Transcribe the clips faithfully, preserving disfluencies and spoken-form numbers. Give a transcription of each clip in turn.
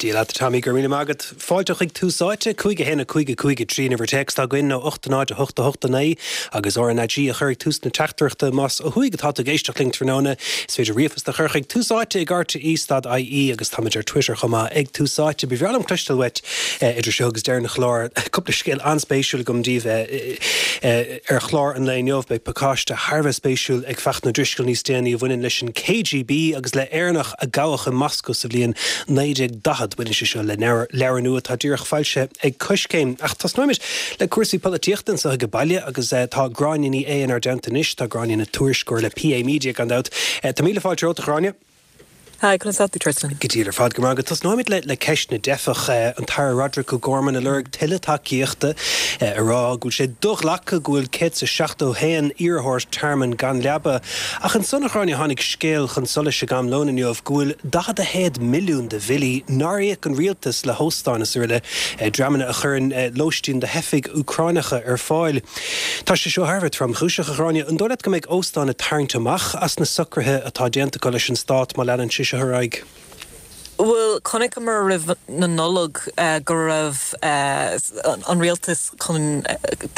Dia leat, Tommy, go raibh míle maith agat. Fáilte chuig Tús Áite, cúig a haon a cúig a cúig a trí an uimhir téacs atá againn nó ocht a náid a hocht a hocht a naoi agus R N A G a chur ag tús na teachtaireachta más ó thuaidh atá tú ag éisteacht linn tráthnóna. Is féidir ríomhphost a chur chuig tús áite ag R T E dot I E agus táimid ar Twitter chomh maith ag Tús Áite. Ba bhreá liom cloisteáil uait idir seo agus deireadh an chláir. Cúpla scéal an-spéisiúil agam daoibh ar chlár an lae inniu. Beidh pacáiste thar a bheith spéisiúil ag Fachtna Ó Drisceoil níos déanaí a bhaineann leis an K G B agus le Éireannach a gabhadh i Moscó sa bhliain naoi déag daichead. Baineann sé seo le leabhar nua atá díreach foilsithe ag Coiscéim. Ach tosnóimid le cúrsaí polaitíochta anseo ag baile agus tá Gráinne Ní Aodha inár dteannta anois. Tá Gráinne ina tuairisceoir le P A Media, gan dabht. Tá míle fáilte romhat, a Ghráinne. Hi, conas tá tú, Tristan? Go diail ar fad, go maith. Tosnóimid le le ceist na dteifeach. An tAire Roderick O'Gorman ag lorg tuilleadh tacaíochta, ag rá go bhfuil sé do-ghlactha go bhfuil céad is seachtó haon iarrthóir tearmainn gan leaba. Ach ansan, a Ghráinne, tháinig scéal chun solais ag am lóin inniu go bhfuil daichead a haon milliún de bhillí nár íoc an rialtas le hóstáin is araile, dreamanna a chuireann lóistín do theifigh Úcránacha ar fáil. Tá sé seo thar a bheith tromchúiseach, a Ghráinne. An dóigh leat go mbeidh óstáin ag tarraingt amach as na socruithe atá déanta acu leis an stát má leanann sé seo ar aghaidh? Bhuel, chonaiceamar roimh na Nollag go raibh an rialtas chun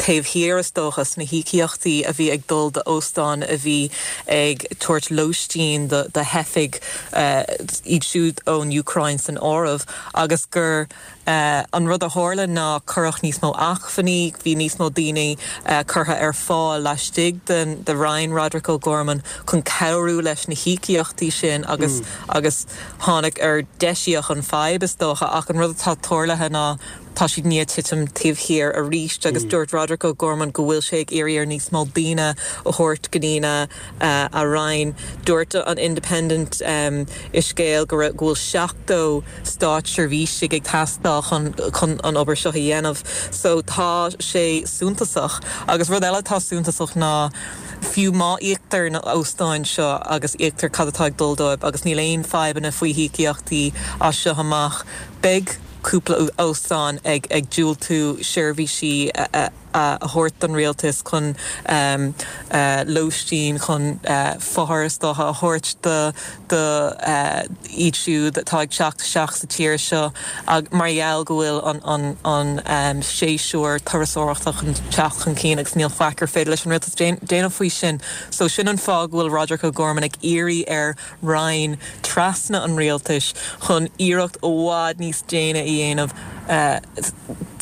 taobh thiar, is dócha, sna híocaíochtaí a bhí ag dul d'óstáin a bhí ag tabhairt lóistín do theifigh, iad siúd ón Úcráin san áireamh, agus gur an rud a tharla ná cuireadh níos mó acmhainní, bhí níos mó daoine curtha ar fáil laistigh den de Roinn Roderick O'Gorman chun cabhrú leis na híocaíochtaí sin agus agus tháinig ar deisíodh an fadhb, is dócha. Ach an rud atá tarlaithe ná tá siad ag titim taobh thiar arís agus dúirt Roderick O'Gorman go bhfuil sé ag iarraidh ar níos mó daoine a thabhairt go dtí a roinn. Dúirt an Independent um, i scéal go bhfuil seachtó státseirbhíseach ag teastáil chun chun an obair seo a dhéanamh. So tá sé suntasach. Agus rud eile tá suntasach ná fiú má íoctar na hóstáin seo agus íoctar cad atá ag dul dóibh agus níl aon fadhbanna faoi híocaíochtaí as seo amach, beidh cúpla óstán ag ag diúltú seirbhísí a a thabhairt don rialtas chun um, uh, lóistín, chun uh, fothar a thabhairt do do uh, iad siúd atá ag teacht isteach sa tír seo ag mar gheall go bhfuil an an an um, séasúr turasóireachta chun teacht chun cinn agus níl faic ar féidir leis an rialtas déanamh faoi sin. So sin an fáth go bhfuil Roderick O'Gorman ag iarraidh ar roinn trasna an rialtais chun iarracht i bhfad níos déine a dhéanamh uh,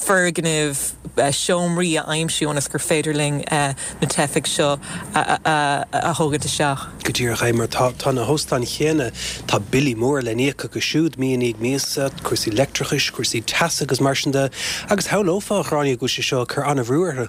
foirgnimh, uh, seomraí a aimsiú ionas gur féidir linn uh, na teifigh seo a, a, a, a thógaint isteach. Go díreach é, mar tá tá na hóstáin chéanna, tá billí mór le n-íoc acu siúd mí i ndiaidh míosa, cúrsaí leictreachais, cúrsaí teasa agus mar sin de, agus shamhlófá, a Ghráinne, go bhfuil sé seo ag cur an-bhrú orthu.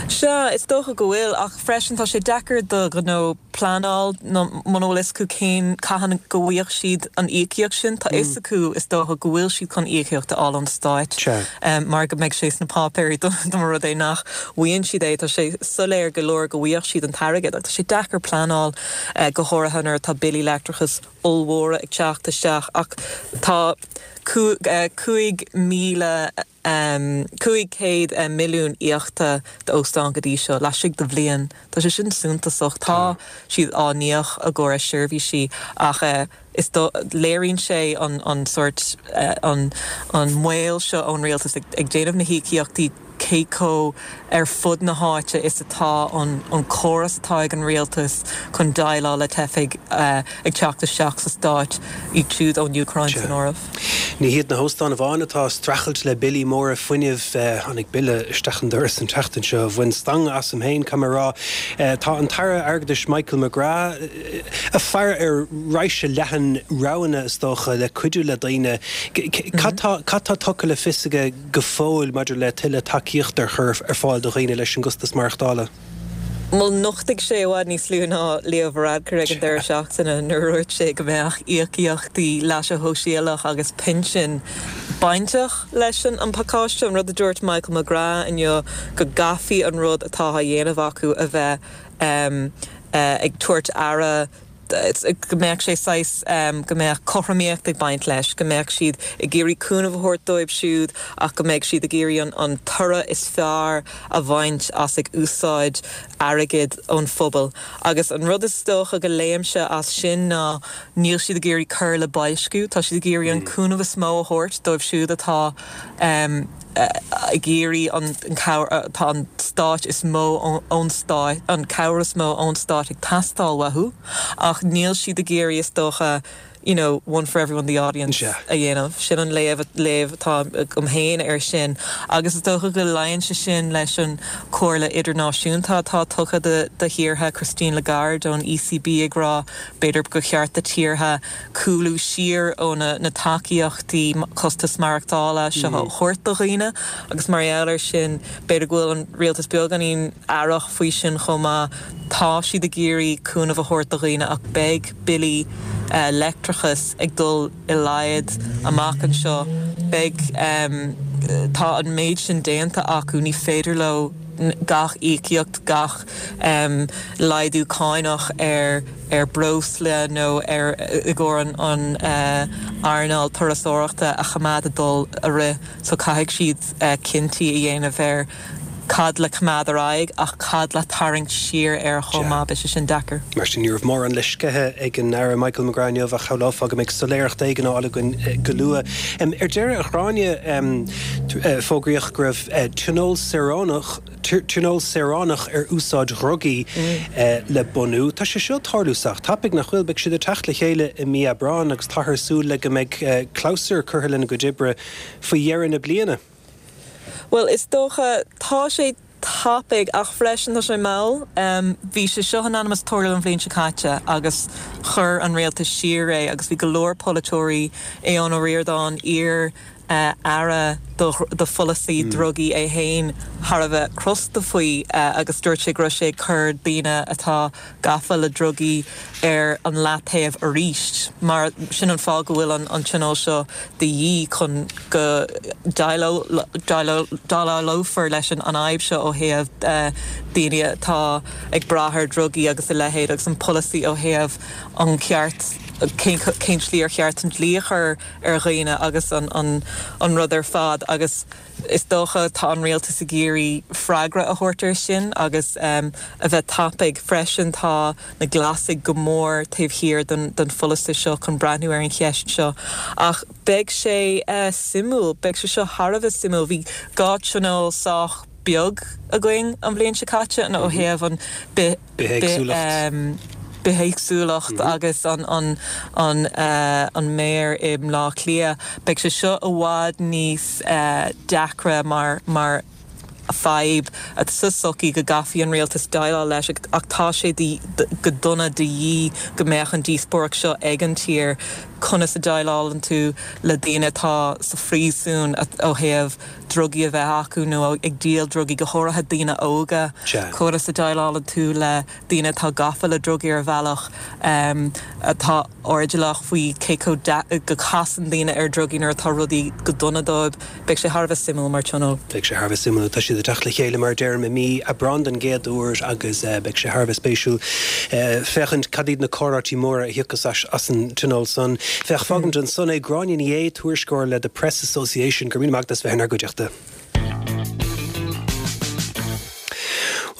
Sea, is dócha go bhfuil, ach freisin tá sé deacair do ghnó pleanáil muna bhfuil fhios acu cén cathain go bhfaighidh siad an íocaíocht sin. Tá fhios acu, is dócha, go bhfuil siad chun íocaíocht a fháil ón stát um, mar go mbeidh sé sna páipéirí do mar rud é nach bhfaigheann siad é, tá sé soiléir go leor go bhfaighidh siad an t-airgead, ach tá sé deacair pleanáil uh, go háirithe nuair atá billí leictreachais ollmhóra ag teacht isteach. Ach tá cúig míle um, cúig céad um, milliún íoctha d'óstáin go dtí seo laistigh de bhliain. Tá sé sin suntasach. Tá siad á n-íoc i gcomhair seirbhísí, ach uh, is do léiríonn sé an an sort uh, an an moill seo ón rialtas ag, ag déanamh na híocaíochtaí, cé chomh ar fud na háite is atá an, an córas atá ag an rialtas chun déileáil le teifigh uh, ag teacht isteach sa stát, iad siúd ón Úcráin san áireamh. Ní hiad na hóstáin amháin atá ag streachailt le billí móra fuinnimh. Tháinig bille isteach an doras an tseachtain seo a bhain stangadh asam féin, caithfidh mé a rá. Tá an tAire Airgeadais Michael McGrath ag faire ar raidhse leathan roghanna, is dócha, le cuidiú le daoine. Cad tá tugtha le fios aige go fóill maidir le tuilleadh tacaíocht a chur ar fáil do dhaoine leis an gcostas maireachtála? Bhuel, nochtaigh sé i bhfad níos lú ná Leo Varadkar ag an deireadh seachtaine nuair a dúirt sé go mbeadh íocaíochtaí leasa shóisialaigh agus pinsin bainteach leis an an pacáiste. An rud a dúirt Michael McGrath inniu go gcaithfidh an rud atá á dhéanamh acu a bheith um, uh, ag tabhairt aire go mbeadh sé saghas um, go mbeadh cothromaíocht ag baint leis, go mbeadh siad ag iarraidh cúnamh a thabhairt dóibh siúd ach go mbeadh siad ag iarraidh an, an toradh is fearr a bhaint as ag úsáid airgead ón phobal. Agus an rud is dócha go léimse as sin ná níl siad ag iarraidh cur le boilsciú, tá siad ag iarraidh an cúnamh is mó a thabhairt dóibh siúd atá um, ag iarraidh an tá an stát is mó ón stát an cabhair is mó ón stát ag teastáil uathu, ach níl siad ag iarraidh is dócha you know, one for everyone the audience a dhéanamh. Sin an léamh léamh atá agam féin air sin. Agus is dócha go luíonn sé sin leis an chomhairle idirnáisiúnta atá tugtha de, de thíortha Christine Lagarde ón ECB ag rá b'fhéidir go cheart do thíortha cúlú siar ó na, na tacaíochtaí costas maireachtála seo mm. thabhairt do dhaoine agus mar gheall air sin b'fhéidir go bhfuil an rialtas beagáinín aireach faoi sin chomh maith tá siad ag iarraidh cúnamh a thabhairt do dhaoine ach beidh billí uh, leictreachas ag dul i laghad amach anseo beidh um, tá an méid sin déanta acu ní féidir leo gach íocaíocht gach um, laghdú cánach ar ar breosla nó ar i gcomhair an an uh, earnáil turasóireachta a choimeád ag dul a rith so caithfidh siad uh, cinntí a dhéanamh ar cad le coimeád ar aghaidh ach cad le tarraingt siar ar chomh maith beidh sé sin deacair. Mar sin ní raibh mórán le sceitheadh ag an Aire Michael McGrath inniu ach shamhlófá go mbeidh soiléireacht éigin á fháil againn go luath. Ar deireadh a Ghráinne fógraíodh go raibh tionól saoránach tionól saoránach ar úsáid dhrugaí le bunú. Tá sé seo tarlú sách tapaidh nach bhfuil beidh siad ag teacht le chéile i mí Aibreáin agus táthar ag súil le go mbeidh clabhsúr curtha lena gcuid oibre faoi dheireadh na bliana. Well is dócha tá sé tapaidh ach freisin tá sé mall. Um, bhí sé seo in ainm is tarlú an bhliain seo caite agus chuir an rialtas siar é agus bhí go leor polaiteoirí Aodhán Ó Ríordáin iar uh, aire do, do pholasaí mm. drugaí é féin thar a bheith crosta faoi uh, agus dúirt sé go raibh sé cur daoine atá gafa le drugaí ar an leataobh arís mar sin an fáth go bhfuil an, an tionól seo de dhíth chun go déileálfar leis an an fhadhb seo ó thaobh uh, daoine atá ag brath ar drugaí agus a leithéid agus an polasaí ó thaobh an ceart cén slí ar cheart an dlí a chur ar dhaoine agus an, an, an rud ar fad agus is dócha tá an rialtas ag iarraidh freagra a thabhairt air sin agus um, a bheith tapaidh freisin tá na Glasaigh go mór taobh thiar den, den pholasaí seo chun breathnú ar an cheist seo. Ach beidh sé uh, suimiúil, beidh sé seo thar a bheith suimiúil, bhí dhá tionól sách beag againn an bhliain seo caite an ó mhm. thaobh an bithéagsúlacht. bithéagsúlacht mm -hmm. agus an an an uh, an méir i mBaile Átha Cliath. Beidh sé seo i bhfad níos uh, deacra mar mar fadhb at sa sochaí go gcaithfidh an rialtas déileáil leis ach tá sé go dona de dhíth go mbeadh an díospóireacht seo ag an tír conas a dhéileálann tú le daoine atá sa phríosún ó thaobh drugaí a bheith acu nó ag díol drugaí go háirithe daoine óga conas a dhéileálann tú le daoine atá gafa le drugaí ar bhealach um, atá airdeallach faoi cé go casann daoine ar drugaí nuair atá rudaí go dona dóibh beidh sé thar a bheith suimiúil mar tionól. Beidh sé thar a bheith suimiúil tá siad ag teacht le chéile mar a deirim i mí Aibreáin den gcéad uair agus uh, beidh sé thar a bheith spéisiúil uh, féachaint cad iad na comhráití móra a thiocfas as an tionól san. Féach fágaim ansan é Gráinne Ní Aodha tuairisceoir le The Press Association go raibh míle maith agat as bheith inár gcuideachta.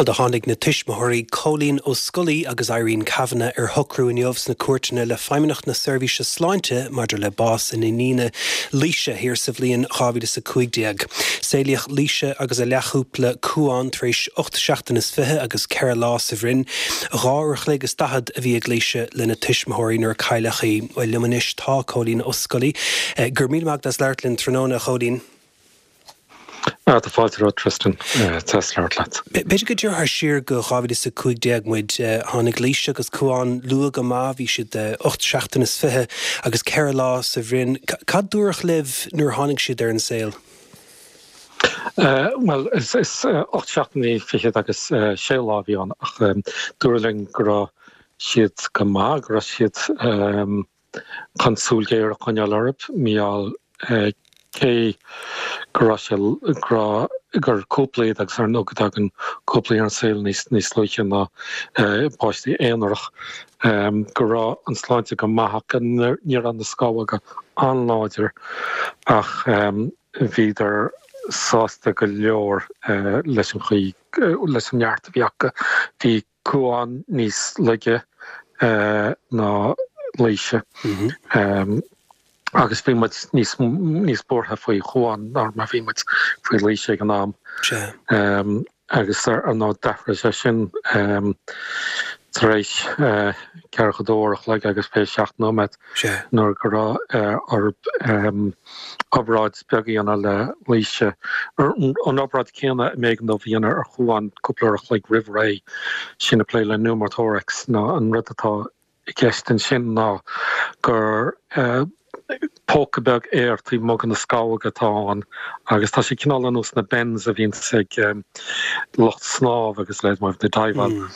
Bhuel do tháinig na tuismitheoirí Cóilín Ó Scolaí agus Irene Kavanagh ar shocrú inniu sna cúirteanna le Feidhmeannacht na Seirbhíse Sláinte maidir le bás a n-iníne Laoise thiar sa bhliain dhá mhíle is a cúig déag. Saolaíodh Laoise agus a leathchúpla Cuán tar éis ocht seachtain is fiche agus ceithre lá sa bhroinn. Dhá uair a chloig is daichead a bhí ag Laoise lena tuismitheoirí nuair a cailleadh í. Bhuel liom anois tá Cóilín Ó Scolaí. Go raibh míle maith agat as labhairt linn tráthnóna, a Chóilín. Ah, tá fáilte romhat Tristan deas labhairt leat. B'fhéidir go dtabharfá siar go dhá mhíle is a cúig déag muid. Tháinig Laoise agus Cuán luath go maith, bhí siad ocht seachtain is fiche agus ceithre lá sa bhroinn. Cad dúradh libh nuair a tháinig siad ar an saol? Bhuel, is ocht seachtainí fichead agus sé lá a bhí ann ach dúradh linn go raibh siad go maith, go raibh siad chun súil ghéar a choinneáil orthu, mar gheall cé go raibh sé go raibh gur cúpla iad agus ar ndóigh go dtagann cúplaí ar an saol níos níos luaithe ná páistí aonarach, go raibh an sláinte go maith ach ní raibh na scamhóga an-láidir ach bhíodar sásta go leor leis an chaoi leis an neart a bhí acu. Bhí Cuán níos laige ná Laoise. Agus bhí muid níos níos buartha faoi Chuán ná mar bhí muid faoi Laoise ag an am. Agus ar ndóigh d'athraigh sé sin tar éis ceathracha dó uair a chloig agus fiche seacht nóiméad nuair go raibh orthu obráid beag a dhéanamh le Laoise. An obráid céanna a mb'éigean dóibh a dhéanamh ar Chuán cúpla uair a chloig roimh ré, sin ag plé le pneumothorax ná an rud atá i gceist ansin ná gur póca beag aeir taobh amuigh de na scamhóga atá ann agus tá sé cineál ar nós na bends a bhíonns ag lucht snámh agus leis mar ag diveáil.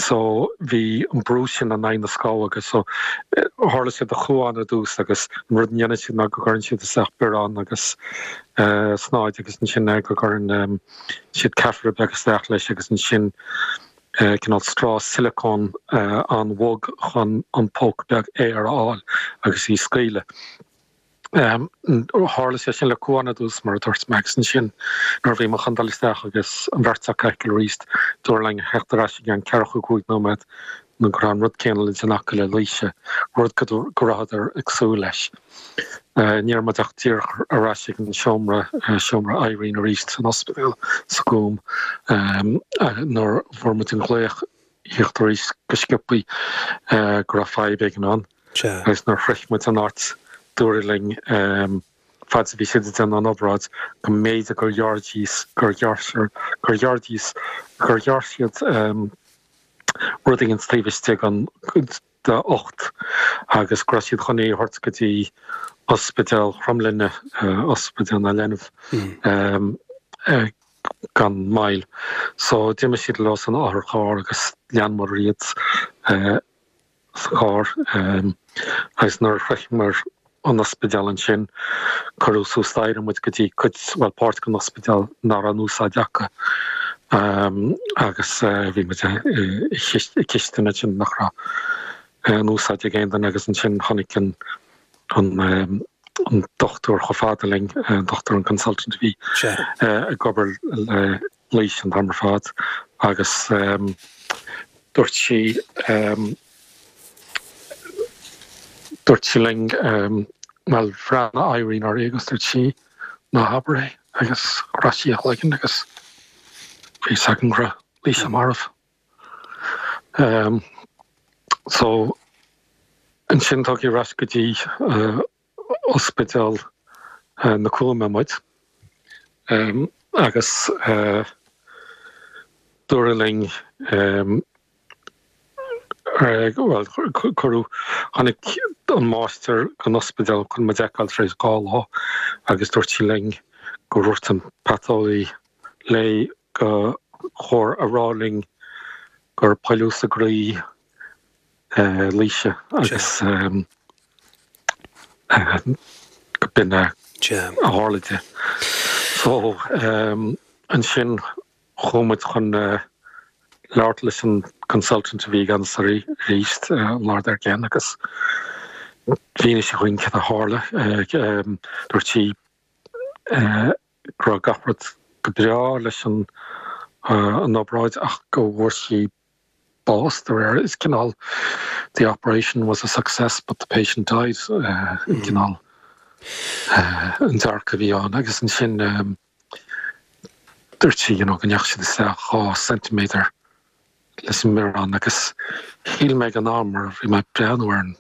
So bhí an brú sin in aghaidh na scamhóga so tharla sé do Chuán ar dtús agus an rud a dhéanann siad ná go gcuireann siad isteach biorán agus snáid agus ansin go gcuireann siad catheter beag isteach leis agus ansin cineál straw silicone an-bhog chun an póca beag aeir a fháil agus í scaoileadh. Tharla sé sin le Cuán ar dtús mar a dúirt mé agus ansin nuair a bhí muid chun dul isteach agus an bheirt acu a fheiceáil arís dúradh linn theacht ar ais i gceann ceathracha cúig nóiméad nó go raibh an rud céanna le déanamh acu le Laoise, rud go rabhadar ag súil leis. Ní raibh muid ach díreach ar ais ag an seomra, seomra Irene arís san ospidéal sa Ghúm nuair a fuair muid an glaoch theacht arís go sciobthaí go raibh fadhb éigin ann. Agus nuair a shroich muid an áit dúradh linn fad is a bhí siad ag déanamh an obráid go mb'fhéidir gur ghearr gur ghearr gur ghearr gur ghearr siad rud éigin taobh istigh an dá ucht agus go raibh siad chun é a thabhairt go dtí Ospidéal Chromghlinne, Ospidéal na Leanbh gan mhoill. So d'imigh siad leo san otharcharr agus leanamar iad sa charr agus nuair a shroicheamar an ospidéal ansin cuireadh suas staighre muid go dtí cuid, bhuel páirt den ospidéal nach raibh in úsáid acu agus bhí muid i gcistin ansin nach raibh in úsáid ag aon duine agus ansin tháinig an an an dochtúir chomh fada linn, an dochtúir an consultant a bhí ag obair le Laoise an t-am ar fad agus dúirt sí Dúirt sí linn, bhuel, bhreathnaigh Irene uirthi agus dúirt sí, ná habair é, agus chroith sí a cloigeann agus bhí fhios againn go raibh Laoise marbh. So, ansin tugadh ar ais go dtí ospidéal na Cúime muid agus dúradh linn, Bhuel, cuireadh, tháinig an máistir den ospidéal chun muid a fheiceáil tar éis dhá lá agus dúirt sí linn gur dhúirt an paiteolaí léi gur chóir a rá linn gur poilliús i gcroí Laoise agus go b'in a tharla di. So, ansin chuaigh muid chun labhairt leis an consultant a bhí i gceannas arís an lá dár gcionn agus mhínigh sí dhúinn cad a tharla. Dúirt sí go raibh gach rud go breá leis an an obráid ach go bhfuair sí bás de réir is cineál the operation was a success but the patient died an cineál an dearcadh a bhí ann agus ansin Dúirt sí you know go ndeachaigh siad isteach dhá ceintiméadar leis an mbiorán agus shíl mé ag an am mar bhí mé ag breathnú ar an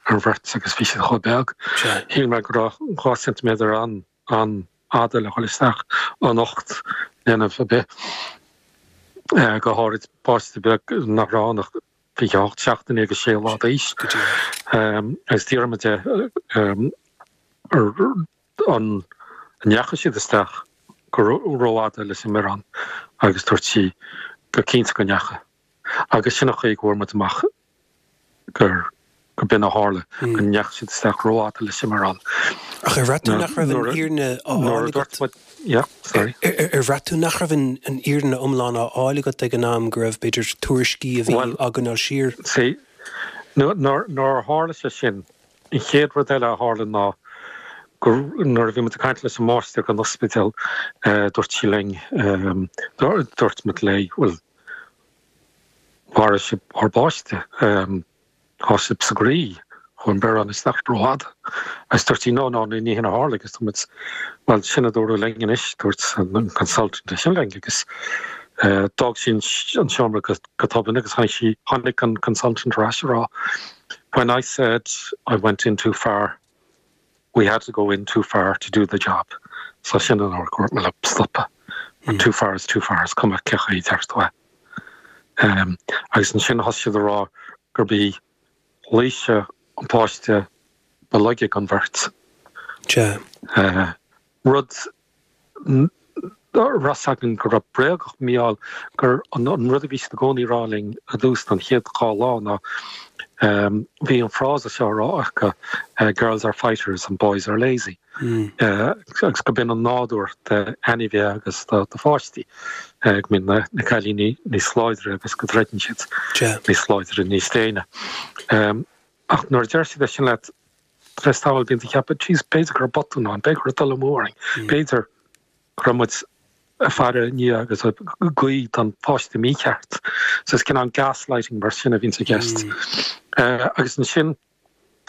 ar an bheirt agus bhí siad chomh beag, shíl mé go raibh dhá ceintiméadar an an-fhada le dhul isteach in ucht linbh ar bith, go háirid páiste beag nach raibh ann ach fiche hocht seachtaine agus sé lá d'aois. Agus d'fhiafraigh mé di an ndeachaigh siad isteach go rófhada leis an mbiorán agus dúirt sí go cinnte go ndeachaigh. Agus sin an chaoi go bhfuair muid amach gur go b'in a tharla, go ndeachaigh siad isteach rófhada leis an mbiorán. Ach ar bhraith tú nach raibh an fhírinne á fháil agat? Yeah, sorry. Ar bhraith tú nach raibh an fhírinne iomlán á fháil agat ag an am, go raibh, b'fhéidir, tuairiscí a bhí á gcoinneáil siar? See, nuair a tharla sé sin, an chéad rud eile a tharla ná gur nuair a bhí muid ag caint leis an máistir ag an ospidéal dúirt sí linn dúirt muid léi bhuel mharaigh sibh ár bpáiste tá sibh sa gcroí chuaigh an biorán isteach rófhada agus dúirt sí no no ní hin a tharla agus muid well sin a dúradh linn anois dúirt an consultant sin linn agus d'fhág sí an seomra go tobann agus tháinig sí tháinig an consultant ar ais ag rá when I said I went in too far we had to go in too far to do the job. So sin an uair gur mé stopa. Mm. Too far is too far is cuma cé chaoi deir Um, agus ansin thosaigh siad a rá gurb í Laoise an páiste ba laige den bheirt. Uh, rud ras againn go raibh bréagach míall gur an, an rud a bhí i gcónaí rá linn ar dtús an chéad dhá lá ná um, bhí an frása seo rá acu uh, girls are fighters and boys are lazy. Mm. Uh, agus go b'in an nádúr de ainmhithe agus do do pháistí uh, go mbíonn na, na cailíní níos láidre agus go dtroideann siad níos láidre níos déine. Um, ach nuair a deir siad sin leat tar éis tamaill bíonn tú ag ceapadh jeez b'fhéidir gur botún ann, b'fhéidir gur dul amú orainn, b'fhéidir go raibh muid ag faire i ndiaidh agus ag guí don pháiste mícheart. So is cineál gaslighting mar sin a bhíonn i gceist. Uh, agus ansin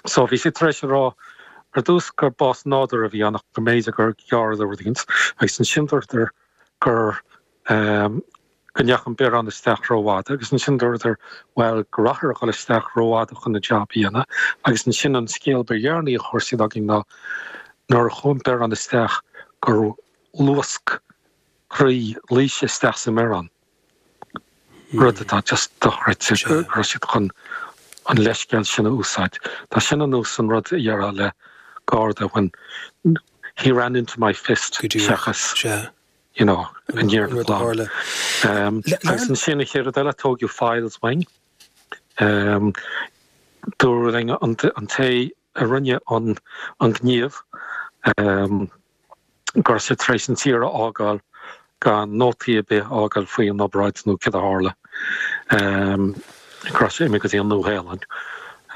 so bhí sé tar éis a rá ar dtús gur bás nádúrtha a bhí ann go mb'fhéidir gur gearradh rud éigin agus ansin dúradar gur um, go ndeachaigh an biorán isteach rófhada agus ansin dúradar well go raibh a dhul isteach rófhada chun na job a dhéanamh agus ansin an scéal ba dheireanaí a chuir siad againn ná nuair a chuaigh an biorán isteach gur luasc croí Laoise isteach sa mbiorán. Rud atá just dochreidte go raibh siad chun an leithscéal sin a úsáid. Tá sin an nós an rud a dhéarfá le garda when he ran into my fist seachas you know an dhear um, agus ansin an chéad rud eile tógadh files uainn. Um, Dúradh linn an an té a rinne an an gníomh um, go raibh sé tar éis an tír a fhágáil gan nótaí ar bith a fhágáil faoi an obráid nó cad a tharla. Um, go raibh sé imithe go dtí an Nua-Shéalainn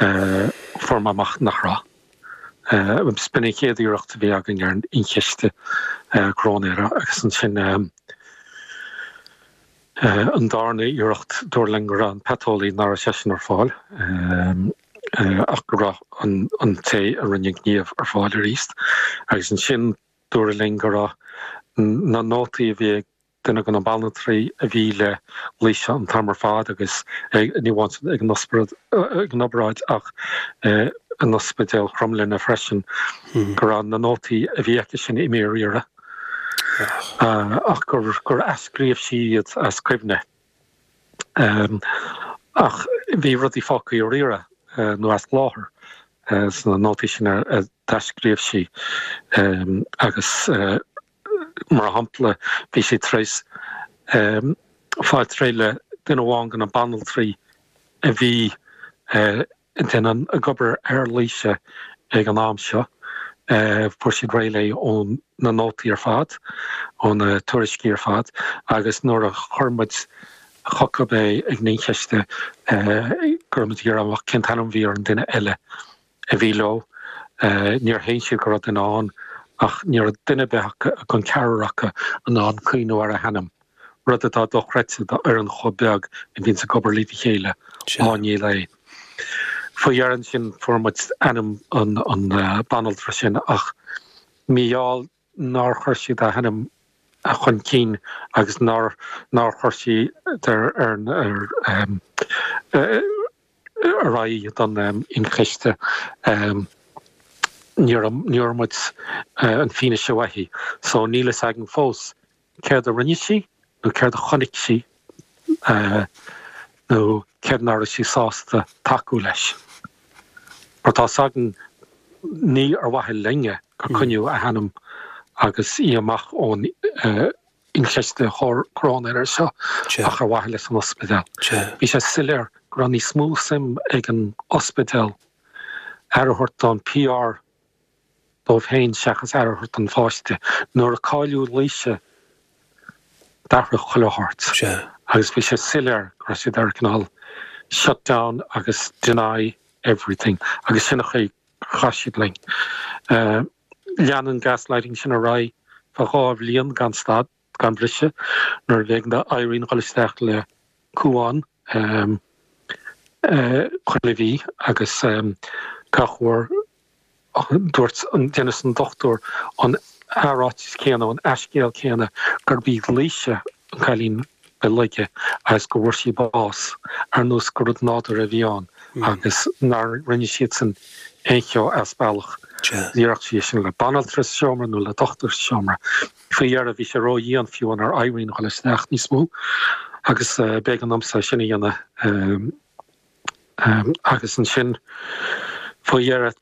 uh, fuair mé amach nach raibh. Uh, B'in an chéad iarracht a bhí againn ar an ionchiste uh, cróinéara agus ansin um, uh, an darna iarracht dúradh linn go raibh an paiteolaí nach raibh seisean ar fáil um, uh, ach go raibh an, an té a rinne an gníomh ar fáil arís agus ansin dúradh linn go raibh na nótaí a bhí duine de na banaltraí a bhí le Laoise an t-am ar fad agus ní amháin ag an ag an obráid ach an ospidéal Chromghlinne freisin go raibh na nótaí a bhí aici sin imithe ar iarraidh ach gur gur athscríobh sí iad as cuimhne. Um, ach bhí rudaí fágtha ar iarraidh uh, nó as láthair uh, sna nótaí sin a d'athscríobh sí um, agus uh, mar shampla bhí sé tar éis um, fáil réidh le duine amháin de na banaltraí a bhí uh, an ag obair ar Laoise ag an am seo. Uh, fuair siad réidh léi ón na nótaí ar fad ó na tuairiscí ar fad agus nuair a chuir muid chucu é ag an ionchiste uh, gur muid amach cén t-ainm a bhí ar an duine eile a bhí leo uh, níor shéan siad go raibh duine ann ach ní raibh duine ar bith den cheathrar acu in ann cuimhneamh ar a hainm. Rud atá dochreidte d'fhoireann chomh beag a bhíonn ag obair le chéile á níl é. Faoi dheireadh ansin fuair muid ainm an an uh, banaltra sin ach míall nár chuir siad a hainm a chun cinn agus nár nár chuir sí ar ar ar um, uh, ar aghaidh don um, ionchiste um, níor níor muid uh, an fianaise uaithi, so níl a fhios againn fós céard a rinne sí nó céard a chonaic sí uh, nó céard nach raibh sí sásta tacú leis. Mar tá sagen ní ar mhaithe linne gur coinníodh a hainm agus í amach ón uh, ionchiste cróinéara seo ach ar mhaithe leis an ospidéal. Bhí sé soiléir go raibh níos mó suim ag an ospidéal aire a thabhairt don PR dóibh féin seachas aire a thabhairt don pháiste nuair a cailleadh Laoise d'athraigh chuile shórt. Agus bhí sé soiléir go raibh siad ar cineál shut down agus deny everything agus sin a chaith siad linn. Uh, Lean an gaslighting sin ar aghaidh feadh dhá bhliain gan stad, gan briseadh, nuair a b'éigean d'Irene dhul isteach le cumhán chuile mhí agus gach uair dúirt an d'inis an dochtúir an ráiteas céanna, an athscéal céanna, gurb í Laoise an cailín ba laige agus go bhfuair sí bás, ar nós gur rud nádúrtha a bhí ann agus nár rinne siadsan aon cheo as bealach. Déarfadh sí é sin le banaltra sa seomra nó le dochtúir sa seomra. Faoi dheireadh bhí sé ródhian fiú ar Irene a dhul isteach níos mó agus b'éigean domsa é sin a dhéanamh. Agus ansin faoi dheireadh,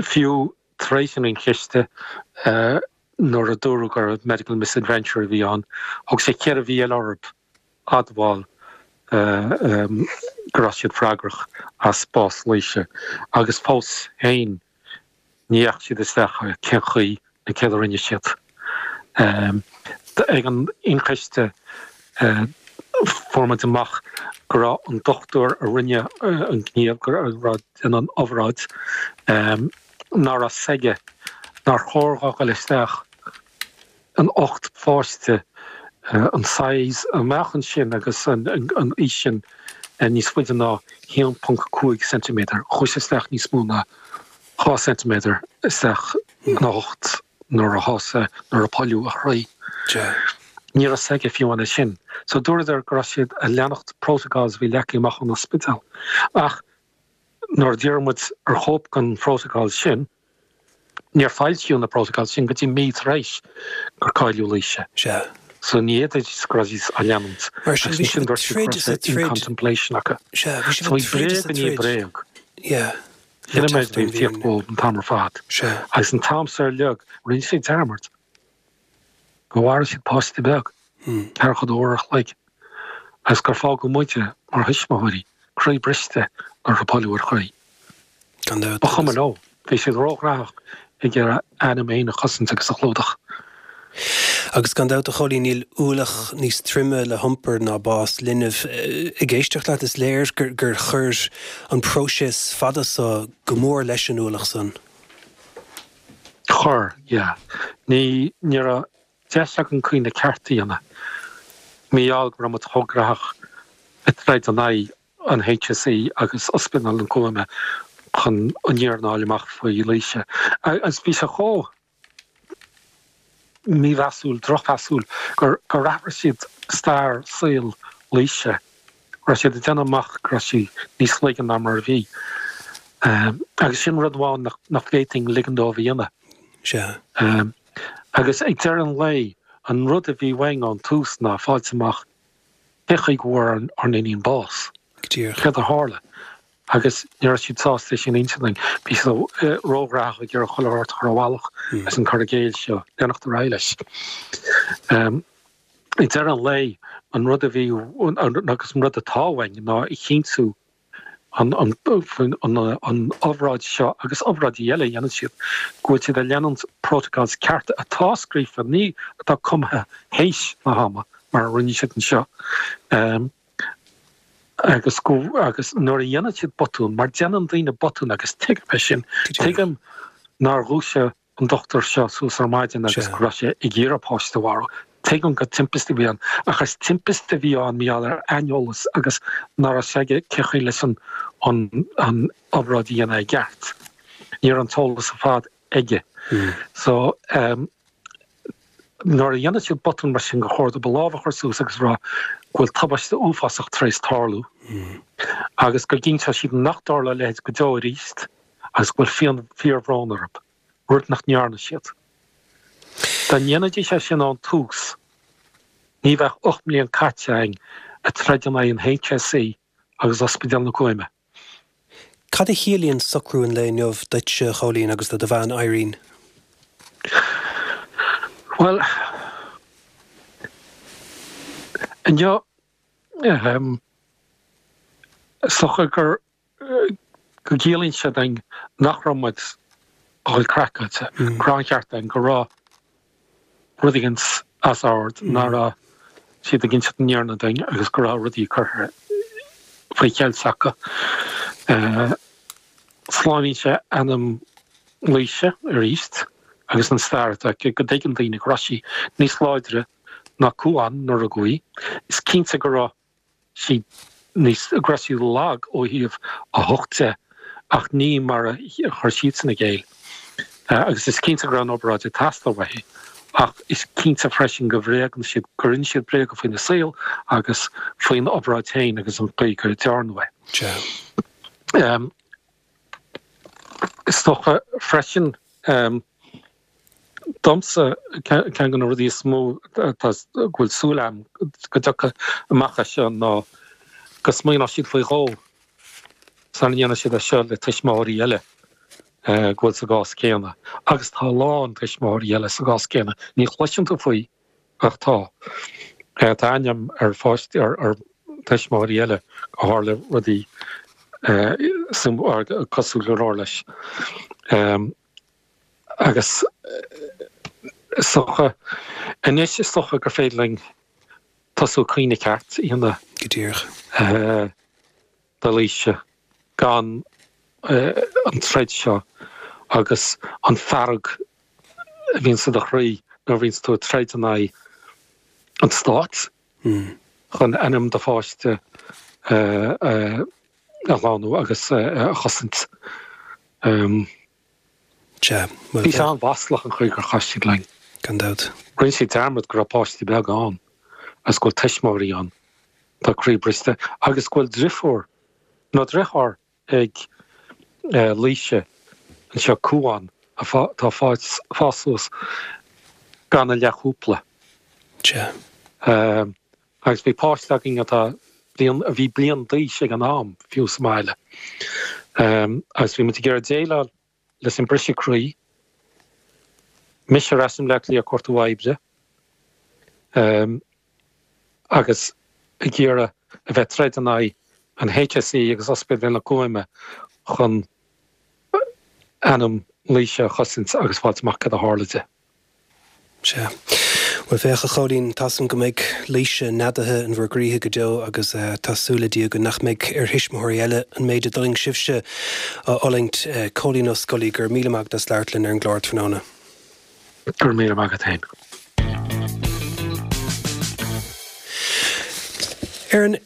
fiú tar éis an ionchiste, nuair a dúradh gur medical misadventure a bhí ann, thóg sé ceithre mhí eile orthu admháil go raibh siad freagrach as bás Laoise agus fós féin ní dheachaigh siad isteach cén chaoi nó céard a rinne siad. Ag an ionchiste fuair muid amach go raibh an dochtúir a rinne an gníomh, go raibh déanamh an obráid, nach raibh 's aige nár chóir dhó dhul isteach in ucht pháiste an saghas a mbeadh ansin agus an aois sin níos faide ná haon ponc cúig ceintiméadar. Chuaigh sé isteach níos mó ná dhá ceintiméadar isteach ina ucht nuair a thosaigh, nuair a polladh a chroí. Ní raibh 's aige fiú amháin é sin. So dúradar go raibh siad ag leanacht protocols a bhí leagtha amach ón ospidéal. Ach nuair a d'iarr muid ar chóip den phrotocol sin, níor foilsíodh na protocols sin go dtí mí tar éis gur cailleadh Laoise. Sea. So ní fhéadfaidís go raibh siad á leanúint. Mar sin, bhí siad ag troid is ag troid. in contemplation acu. Sea, bhí siad So ag bhí troid is bréag ag i ndiaidh troid. bréag. Yeah. Sin an méid a bhí ag tíocht dhóibh an t-am ar fad. Sea. Agus an t-am seo uilig, rinne siad dearmad go mharaigh siad páiste beag, ceathracha dó uair a chloig, agus gur fágadh muide mar thuismitheoirí croí briste nuair a polladh a croí. Gan dabht. Ba chuma leo, bhí siad róghnóthach ag iarraidh a n-ainm féin a chosaint agus a chlúdach. Agus gan dabht a Chóilín, níl ualach níos troime le hiompar ná bás linbh. Ag éisteacht leat is léir gur gur chuir an próiseas fada so go mór leis an ualach san. Chuir, yeah. Ní ní raibh deis againn caoineadh ceart a dhéanamh. Mar gheall go raibh muid chomh gnóthach ag troid in aghaidh an HSE agus Ospidéal na Cúime chun an fhírinne a fháil amach faoi Laoise. Agus bhí sé chomh mímheasúil, drochmheasúil gur gur athraigh siad stair saoil Laoise, go raibh siad ag déanamh amach go raibh sí níos laige ná mar a bhí. Agus sin rud amháin nach nach bhféadfainn ligean dóibh a dhéanamh. Sea. Agus ag deireadh an lae, an rud a bhí uainn ón tús ná fáilt amach cé chaoi go bhfuair ár n-iníon bás. Go díreach. Céard a tharla? Agus ní raibh siad sásta é sin a inse dúinn. Bhí siad róghnóthach ag iarraidh chuile shórt a chur i bhfalach leis an cur i gcéill seo, leanacht ar aghaidh leis. Ag deireadh an lae, an rud a bhí, agus an rud atá uainn ná a chinntiú an an obráid seo agus obráidí eile a dhéanann siad, go bhfuil siad ag leanúint protocols cearta atá scríofa, ní atá cumtha théis na hama mar a rinne siad anseo. Agus go agus nuair a dhéanann siad botún, mar déanann daoine botún agus tuigim é sin, tuigim nár dhúisigh an dochtúir seo suas ar maidin agus go raibh sé ag iarraidh páiste a mharú. Tuigim gur timpiste a bhí ann, ach is timpiste a bhí ann mar gheall ar aineolas agus nach raibh sé aige cé chaoi leis an an obráid a dhéanamh i gceart. Ní raibh an t-eolas ar fad aige. So nuair a dhéanann siad botún mar sin gur chóir dóibh a lámh a chur suas agus rá go bhfuil tubaiste uafásach tar éis tarlú agus go gcinnteoidh siad nach dtarlóidh a leithéid go deo arís agus go bhfuil fíorbhrón orthu, rud nach ndearna siad. Dá ndéanfaidís é sin ón tús, ní bheadh ocht mbliana caite againn ag troid in aghaidh an HSE agus Ospidéal na Cúime. Cad a chiallaíonn socrú an lae inniu duitse, a Chóilín, agus do do bhean, Irene? Bhuel, inniu, ehm, is dócha gur, go gciallaíonn sé dúinn nach raibh muid a dhul craiceáilte, go raibh an ceart againn, go raibh rud éigin as ord, nach raibh siad ag inseacht an fhírinne dúinn agus go raibh rudaí curtha faoi cheilt acu. Slánaíonn sé anam Laoise arís agus an stair atá aici, go dtuigeann daoine go raibh sí níos láidre ná Cuan nuair a rugadh í. Is cinnte go raibh sí níos, go raibh sí lag ó thaobh a hucht de ach ní mar a chuir siadsan i gcéill. Agus is cinnte go raibh an obráid ag teastáil uaithi ach is cinnte freisin go bhréagann siad, gur inis siad bréaga faoina saol agus faoin obráid féin agus an chaoi go ndearnadh é. Is dócha freisin domsa ceann de na rudaí is mó atá go bhfuil súil agam go dtiocfaidh amach as seo ná go smaoineoidh siad faoi dhó sula ndéanfaidh siad é seo le tuismitheoirí eile go bhfuil sa gcás céanna. Agus tá a lán tuismitheoirí eile sa gcás céanna. Ní chloiseann tú faoi ach tá. Tá aithne agam ar pháistí, ar tuismitheoirí eile go tharla rudaí cosúil go leor leis. Agus is dócha, anois is dócha gur féidir linn tosú caoineadh ceart a dhéanamh. Go díreach. Do Laoise gan an troid seo agus an fearg a bhíonn sa do chroí nuair a bhíonns tú ag troid in aghaidh an stáit chun ainm do pháiste a ghlanadh agus a chosaint. Sea, bhuel. Bhí sé an-mhaslach an chaoi gur chaith siad linn. Gan dabht. Rinne siad dearmad go raibh páistí beaga ann agus go bhfuil tuismitheoirí ann atá croíbhriste agus go bhfuil driofúr nó driotháir ag Laoise anseo, Cuan, atá ag fás suas gan a leathchúpla. Sea. Agus bhí páiste againn atá bliain, a bhí bliain d'aois ag an am, fiú sa mbaile. Agus bhí muid ag iarraidh déileáil leis an briseadh croí. Mise ar ais i mBleá Cliath ag cuartú oibre agus ag iarraidh a bheith ag troid in aghaidh an HSE agus Ospidéal na Cúime chun ainm Laoise a chosaint agus fáilt amach cad a tharla di. Sea. Bhuel, féach, a Chóilín, tá 's agam go mbeidh Laoise neadaithe in bhur gcroíthe go deo agus tá súil le Dia go nach mbeidh ar thuismitheoirí eile an méid a d'fhulaing sibhse a fhulaingt. Cóilín Ó Scolaí, go raibh míle maith agat as labhairt linn ar an gclár tráthnóna. Go raibh míle maith agat féin. Ar an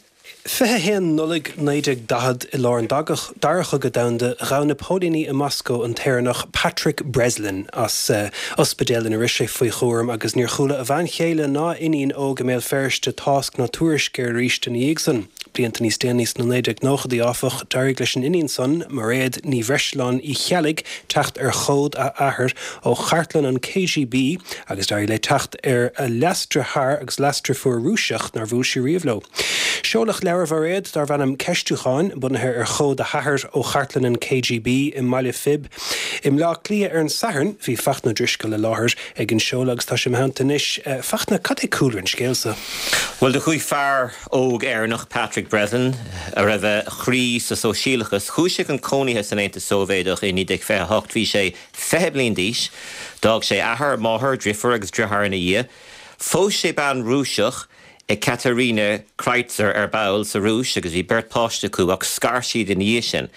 fiche a haon Nollaig naoi déag daichead, i lár an Dara Chogadh Domhanda, ghabh na póilíní i Moscó an tÉireannach Patrick Breslin as ospidéal ina raibh sé faoi chúram agus níor chuala a bhean chéile ná a iníon óg i mBéal Feirste tásc ná tuairisc air arís ina dhiaidh san. Blianta níos déanaí sna naoi déag nóchaidí, áfach, d'éirigh leis an iníon san, Mairéad Ní Bhreisleáin Uí Cheallaigh, teacht ar chomhad a athar ó chartlann an KGB agus d'éirigh léi teacht ar a leasdeartháir agus leasdeirfiúr Rúiseach nár bhuail sí riamh leo. Seoladh leabhar Mhairéad darb ainm Ceistiúcháin, bunaithe ar chomhad a hathar ó chartlann an KGB i mBaile Phib i mBleá Cliath ar an Satharn. Bhí Fachtna Ó Drisceoil i láthair ag an seoladh agus tá sé i mo theannta anois. Fachtna, cad é cúlra an scéil seo? Bhuel, do chuaigh fear óg Éireannach, Patrick Breslin, a raibh a chroí sa sóisialachas, chuaigh sé chun cónaithe san Aontas Sóivéadach i naoi déag fiche a hocht. Bhí sé fiche bliain d'aois. D'fhág sé athair, máthair, driofúr agus driotháir ina dhiaidh. Phós sé bean Rúiseach, Ekaterina Kreitzer, ar ball sa Rúis agus bhí beirt páiste acu ach scar siad ina dhiaidh sin.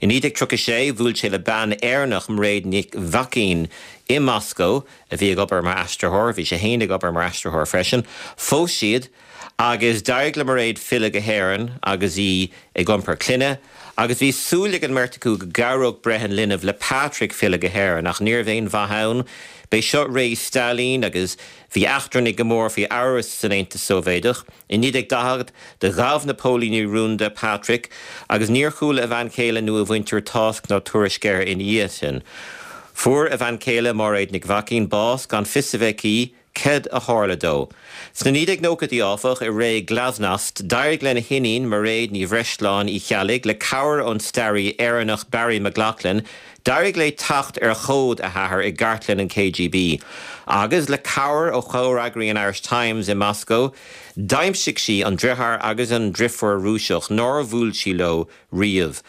I naoi déag tríocha a sé bhuail sé le bean Éireannach, Mairéad Nic Mhaicín, i Moscó a bhí ag obair mar aistritheoir, bhí sé féin ag obair mar aistritheoir freisin. Phós siad agus d'éirigh le Mairéad filleadh go hÉirinn agus í ag iompar clainne agus bhí súil ag an mbeirt acu go gcabhródh breith an linbh le Patrick filleadh go hÉirinn ach ní raibh aon mhaith ann. B'é seo ré Stailín agus bhí eachtrannaigh go mór faoi amhras san Aontas Sóivéadach. I naoi déag daichead, do ghabh na póilíní rúnda Patrick agus níor chuala a bhean chéile nó a mhuintir tásc ná tuairisc air ina dhiaidh sin. Fuair a bhean chéile, Máiréad Nic Mhaicín, bás gan fios a bheith aici céard a tharla dó. Sna naoi déag nóchaidí, áfach, i ré Glasnost, d'éirigh lena hiníon, Mairéad Ní Bhreisleáin Uí Cheallaigh, le cabhair ón staraí Éireannach Barry McLaughlin, D'éirigh léi teacht ar chomhad a hathar i gcartlann an KGB, agus le cabhair ó chomhfhreagraí an Irish Times i Moscó, d'aimsigh sí an driotháir agus an driofúr Rúiseach nár bhuail sí leo riamh.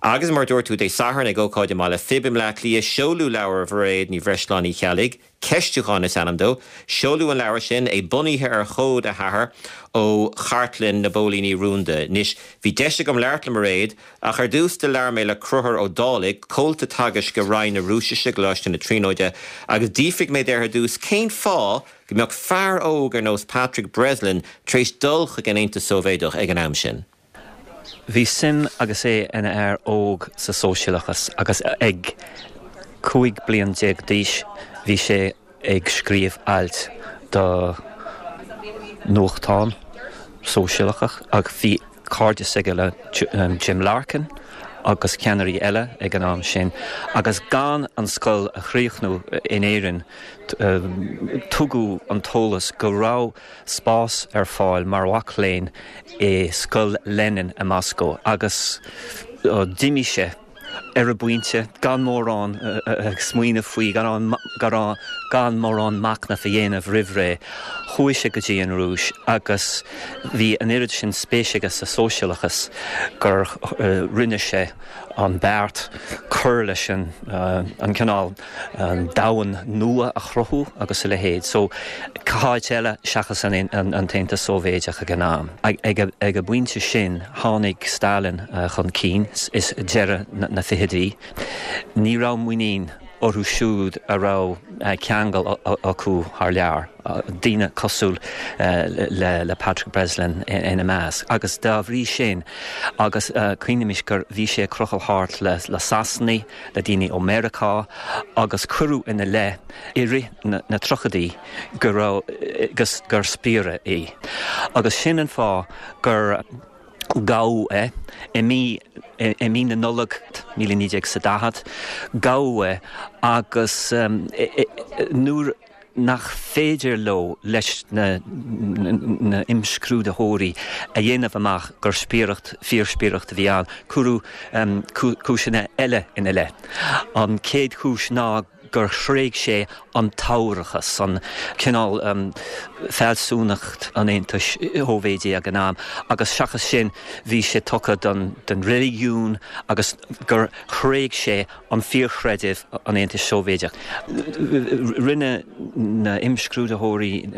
Agus mar dúirt tú Dé Sathairn ag ócáid i mBaile Phib i mBleá Cliath seoladh leabhar Mhairéad Ní Bhreisleáin Uí Cheallaigh, Ceistiúchán is ainm dó. Seoladh an leabhar sin é bunaithe ar chomhad a hathar ó chartlann na bPóilíní Rúnda. Anois bhí deis agam labhairt le Mairéad, ach ar dtús do labhair mé le Conchúr Ó Dálaigh, comhalta teagaisc i Roinn na Rúisise i gColáiste na Tríonóide, agus d'fhiafraigh mé de ar dtús cén fáth go mbeadh fear óg ar nós Patrick Breslin tar éis dul chuig an Aontas Sóivéadach ag an am sin. Bhí suim agus é ina fhear óg sa sóisialachas agus ag cúig bliain déag d'aois bhí sé ag scríobh ailt do nuachtán sóisialach ach bhí cairdeas aige le Jim Larkin agus ceannairí eile ag an am sin agus gan an scoil a chríochnú in Éirinn tugadh an t-eolas go raibh spás ar fáil mar mhac léinn i scoil Lenin i Moscó agus d'imigh sé ar an bpointe gan mórán smaoineamh faoi gan mórán machnamh a dhéanamh roimh ré. Chuaigh sé go dtí an Rúis agus bhí an oiread sin spéis aige sa sóisialachas gur rinne sé an beart cur leis an an cineál domhan nua a chruthú agus a leithéid. So cá háit eile seachas an an tAontas Sóivéadach ag an am. Ag ag an bpointe sin tháinig Stalin chun cinn is deireadh na fichidí. Ní raibh muinín orthu siúd a raibh ceangal acu thar lear, daoine cosúil le le Patrick Breslin ina measc. Agus dá bhrí sin agus cuimhnímis gur bhí sé ag crochadh thart le le Sasanaigh, le daoine ó Meiriceá agus cuireadh ina leith i rith na na tríochaidí go raibh gus gur spiaire é. Agus sin an fáth gur gabhadh é i mí i mí na Nollag míle naoi déag is a daichead, gabhadh é agus nuair nach féidir leo leis na na imscrúdaitheoirí a dhéanamh amach gur spiaireacht fíorspiaireacht a bhí ann, cuireadh cúiseanna eile ina leith. An chéad chúis ná gur thréig sé an t-aorachas, an cineál fealsúnacht an Aontais Shóivéadaigh ag an am, agus seachas sin bhí sé tugtha don don reiligiún agus gur thréig sé an fíorchreideamh an Aontais Shóivéadaigh. Rinne na imscrúdaitheoirí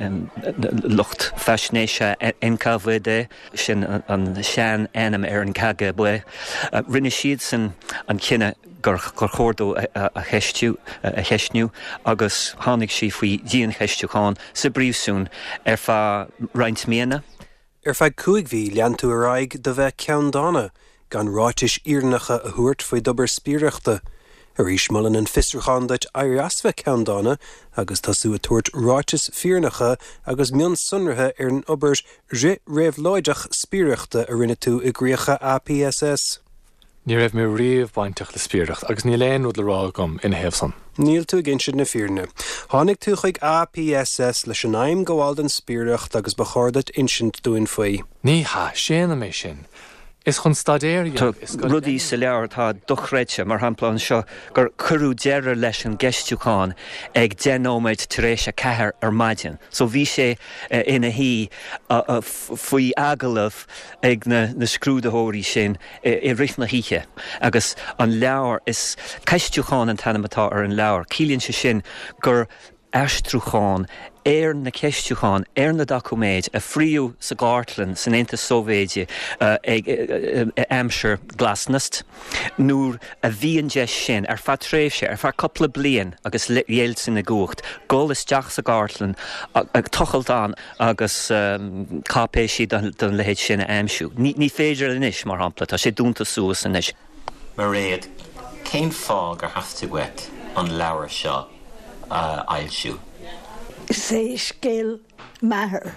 lucht faisnéise NKVD, sin an sean-ainm ar an KGB, rinne siadsan an cinneadh gur chóir dó a cheistiú, a cheistniú agus tháinig sé faoi dhiancheistiúchán sa bpríosún ar feadh roinnt míonna. Ar feadh cúig mhí lean tú ar aghaidh de bheith ceanndána, gan ráitis fhírinneacha a thabhairt faoi d'obair spiaireachta. Arís molann an fiosrúchán duit éirí as bheith ceanndána agus tosú ag tabhairt ráitis fírinneacha agus mionsonraithe ar an obair fhrith-réabhlóideach spiaireachta a rinne tú i gcríocha APSS. Ní raibh mé riamh bainteach le spiaireacht agus níl aon rud le rá agam ina thaobh san. Níl tú ag insint na fírinne. Tháinig tú chuig APSS leis an aidhm gabháil don spiaireacht agus ba chóir duit insint dúinn faoi. Ní hea, séanaim é sin. Is chun staidéar a dhéanamh i scoil Tá rudaí sa leabhar atá dochreidte, mar shampla anseo gur cuireadh deireadh leis an gceistiúchán ag deich nóiméad tar éis a ceathair ar maidin. So bhí sé ina shuí faoi agallamh ag na na scrúdaitheoirí sin i rith na hoíche agus an leabhar is ceistiúchán an t-ainm atá ar an leabhar. Ciallaíonn sé sin gur aistriúchán ar na ceistiúcháin ar na doiciméid a fríodh sa gcartlann san Aontas Sóivéadach ag aimsir Glasnost nuair a bhí an deis sin ar feadh tréimhse, ar feadh cúpla bliain agus Yeltsin i gcumhacht, dul isteach sa gcartlann, ag tochailt ann agus cáipéisí den leithéid sin a aimsiú. Ní féidir anois, mar shampla, tá sé dúnta suas anois. Mairéad, cén fáth gur theastaigh uait an leabhar seo a fhoilsiú? Is é scéal m'athar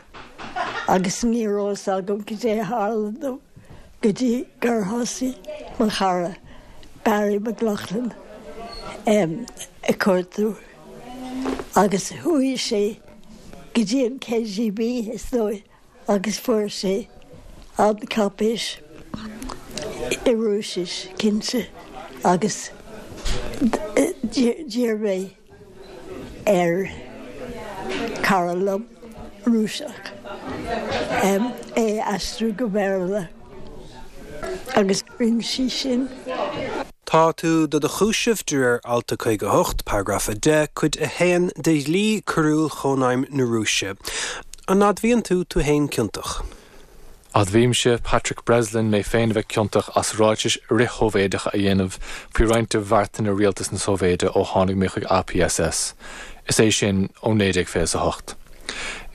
agus ní raibh fhios agam cad é a tharla dó go dtí gur thosaigh mo chara Barry McLaughlin ag cuartú agus chuaigh sé go dtí an KGB is dóigh agus fuair sé an cáipéis i Rúisis cinnte agus d'iarr mé ar cara liom Rúiseach é a aistriú go Béarla. Agus rinne sí sin. Tá tú do do chúiseamh de réir alt a caoga a hocht, paragraf a deich, cuid a haon de Dhlí Coiriúil Chónaidhm na Rúise. An admhaíonn tú tú féin ciontach? Admhaímse, Patrick Breslin, mé féin a bheith ciontach as ráitis fhrith-Shóivéadacha a dhéanamh faoi roinnt de bheartanna Rialtas na Sóivéide ó tháinig mé chuig APSS, is é sin ó naoi déag fiche a hocht.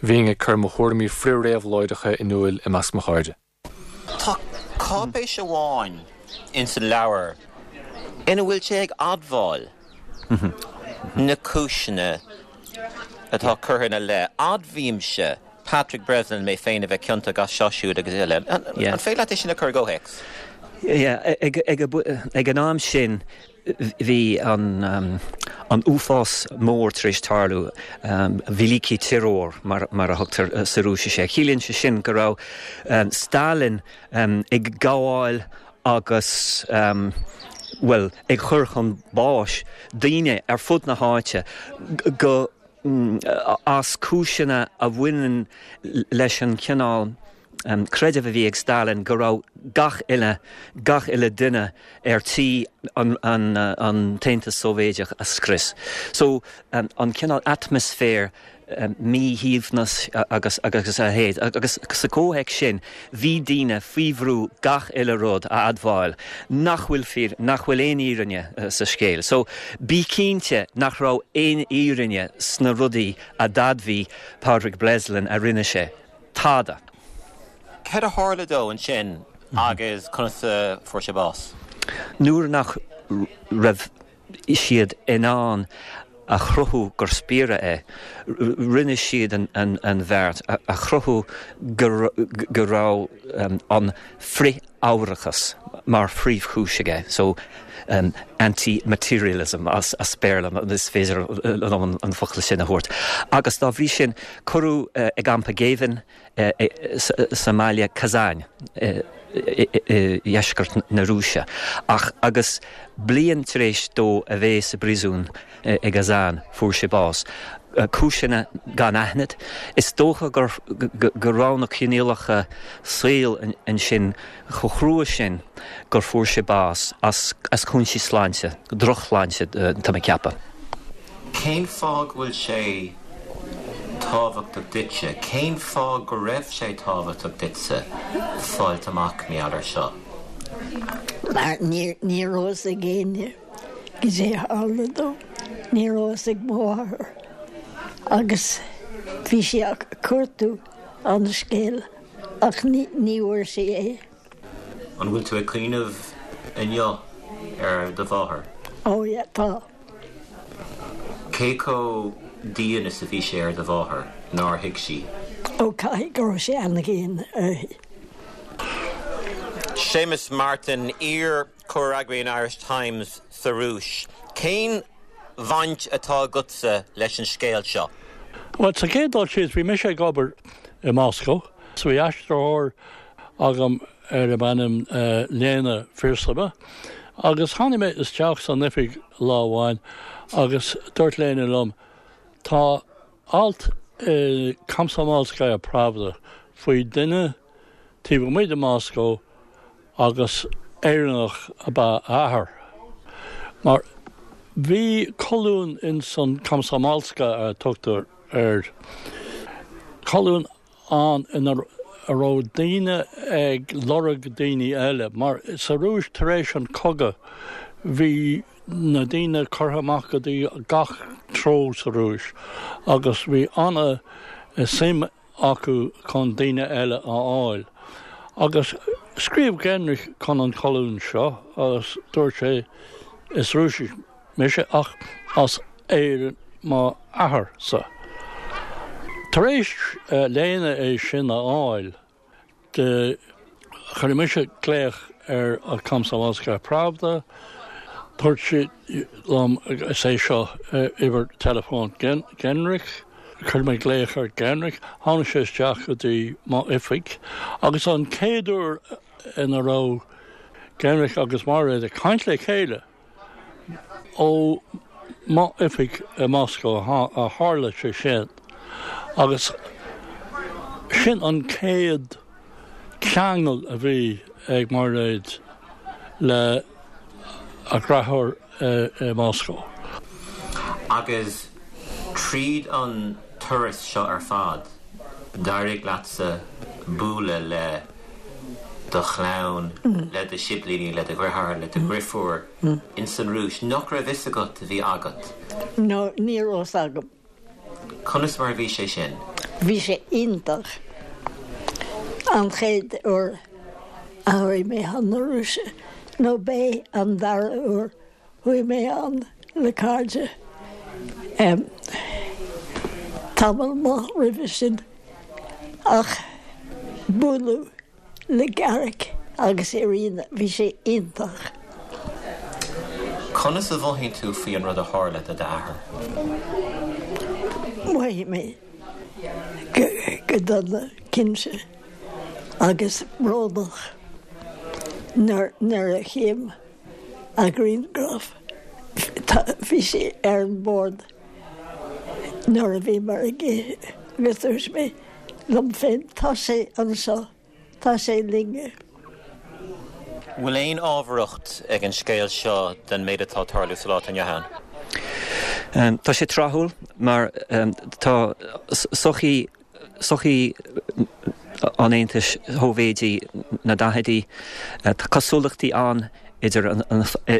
Bhínn ag cur mo thuairimí frith-réabhlóideacha in iúl i measc mo chairde. Tá cáipéis amháin ins an leabhar ina bhfuil sé ag admháil na cúiseanna atá curtha ina leith. Admhaímse, Patrick Breslin, mé féin a bheith ciontach as seo, siúd agus eile. An féidir leat é sin a chur i gcomhthéacs? Yeah, ag, ag, ag an am sin bhí an, an uafás mór tar éis tarlú, Великий Террор mar, mar a thugtar sa Rúisis air. Ciallaíonn sé sin go raibh Stalin ag gabháil agus bhuel, ag cur chun báis daoine ar fud na háite go as cúiseanna a bhaineann leis an chineál creideamh a bhí ag Stalin go raibh gach uile, gach uile duine ar tí an, an, an tAontas Sóivéideach a scrios. So an cineál atmaisféar míshuaimhneas agus agus a leithéid. Agus sa chomhthéacs sin bhí daoine faoi bhrú gach uile rud a admháil nach bhfuil fíor, nach bhfuil aon fhírinne sa scéal. So bí cinnte nach raibh aon fhírinne sna rudaí a d'admhaigh Pádraig Breslin a rinne sé. Tada. Céard a tharla dó ansin agus conas a fuair sé bás? Nuair nach raibh siad in ann a chruthú gur spiaire é, rinne siad an bheart a chruthú go raibh an frith-ábharachas mar phríomhchúis aige, so anti-materialism as Béarla, is féidir liom an focal sin a thabhairt. Agus dá bhrí sin, cuireadh i gcampa géibhinn sa mbaile Kazan i dheisceart na Rúise. Ach agus bliain tar éis dó a bheith sa bpríosún i gKazan, fuair sé bás. Cúiseanna gan aithne. Is dócha go raibh na coinníollacha saoil ansin chomh crua sin gur fuair sé bás as cúinsí sláinte, drochshláinte, tá mé ag ceapadh. Cén fáth go bhfuil sé tábhachtach duitse? Cén fáth go raibh sé tábhachtach duitse fáilt amach mar gheall air seo? Mar ní raibh fhios ag éinne goidé a tharla dó. Ní raibh fhios ag mo mháthair. Agus bhí sí ag cuartú an scéil ach ní bhfuair sí é. An bhfuil tú ag cuimhneamh inniu ar do mháthair? Ó yeah, tá. Cé chomh dian is a bhí sé ar do mháthair nár thuig sí? Ó caithfidh go raibh sé an-dhian uirthi. Séamus Martin, iar-chomhfhreagraí an Irish Times sa Rúis. Cén bhaint atá agatsa leis an scéal seo? Bhuel, sa chéad dul síos, bhí mise ag obair i Moscow, so bhí aistritheoir agam darb ainm Lena Firsova, agus tháinig mé isteach san oifig lá amháin agus dúirt Lena liom, tá alt i Komsomolskaya Pravda faoi duine taobh amuigh de Moscow agus Éireannach ab ea a athair. Mar bhí colún in san Komsomolskaya a tugtar air, colún ann ina a raibh daoine ag lorg daoine eile, mar sa Rúis tar éis an cogadh bhí na daoine curtha amach go dtí gach treo sa Rúis agus bhí ana suim acu chun daoine eile a fháil. Agus scríobh Genrich chun an cholún seo agus dúirt sé is Rúiseach mise ach as Éirinn mo athair-sa. Tar éis Lena é sin a fháil, de chuir mise glaoch ar an Komsomolskaya Pravda, dúirt sí liom is é seo uimhir teileafóin Genrich, chuir mé glaoch ar Genrich, tháinig sé isteach go dtí m'oifig, agus an chéad uair ina raibh Genrich agus Mairéad ag caint le chéile, ó m'oifig i Moscow a tharla sé sin. Agus sin an chéad cheangal a bhí ag Mairéad le a dheartháir i Moscó. Agus tríd an turas seo ar fad, d'éirigh leatsa bualadh le do chlann, le do shiblíní, le do dheartháir, le do dheirfiúr ins an Rúis, nach raibh fhios agat a bhí agat? No, ní raibh fhios agam. Conas mar a bhí sé sin? Bhí sé iontach. An chéad uair a chuaigh mé chun na Rúise, nó b'é an dara huair chuaigh mé ann le cairde tamall maith roimhe sin, ach bualadh le Garrick agus Irina, bhí sé iontach. Conas a mhothaíonn tú faoi an rud a tharla do d'athair? Mhothaigh mé go dona, cinnte, agus brónach nuair a chím a ghrianghraf. Bhí sé ar an mbord nuair a bhíomar ag ithe agus dúirt mé liom féin, tá sé anseo, tá sé linn. Bhfuil aon ábharthacht ag an scéal seo den méid atá ag tarlú sa lá atá inniu ann? Tá sé tráthúil mar tá sochaí sochaí an Aontais Shóivéadaigh na daichidí, tá cosúlachtaí ann idir